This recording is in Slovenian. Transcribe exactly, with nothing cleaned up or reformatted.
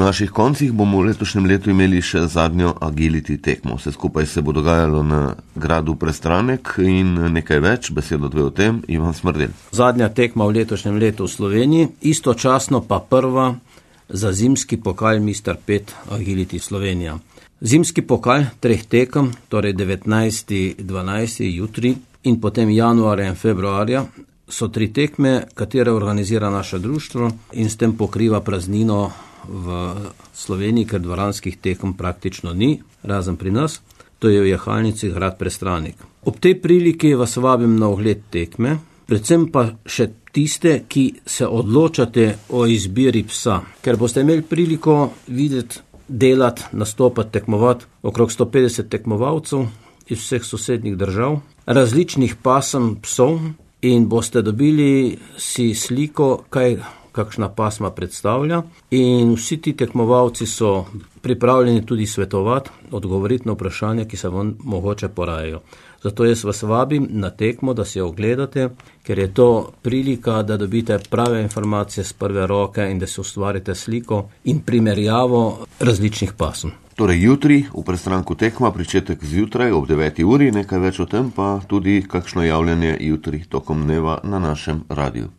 naših koncih bomo v letošnjem letu imeli še zadnjo agility tekmo. Vse skupaj se bo dogajalo na gradu Prestranek in nekaj več, besedo dve o tem, Ivan Smrdelj. Zadnja tekma v letošnjem letu v Sloveniji, istočasno pa prva za zimski pokal mister pet Agility Slovenija. Zimski pokal treh tekem, torej devetnajsti dvanajsti jutri in potem januarja in februarja, so tri tekme, katere organizira naše društvo in s tem pokriva praznino v Sloveniji, ker dvoranskih tekem praktično ni, razen pri nas, to je v jahalnici grad Prestranek. Ob tej priliki vas vabim na ogled tekme, predvsem pa še tiste, ki se odločate o izbiri psa, ker boste imeli priliko videti, delati, nastopati, tekmovati okrog sto petdeset tekmovalcev iz vseh sosednjih držav, različnih pasem psov in boste dobili si sliko, kaj kakšna pasma predstavlja in vsi ti tekmovalci so pripravljeni tudi svetovati, odgovoriti na vprašanja, ki se vam mogoče porajajo. Zato jaz vas vabim na tekmo, da si jo ogledate, ker je to prilika, da dobite prave informacije z prve roke in da si ustvarite sliko in primerjavo različnih pasm. Torej jutri v Prestranku tekma, pričetek zjutraj ob deveti uri, nekaj več o tem pa tudi kakšno javljanje jutri tokom dneva na našem radiju.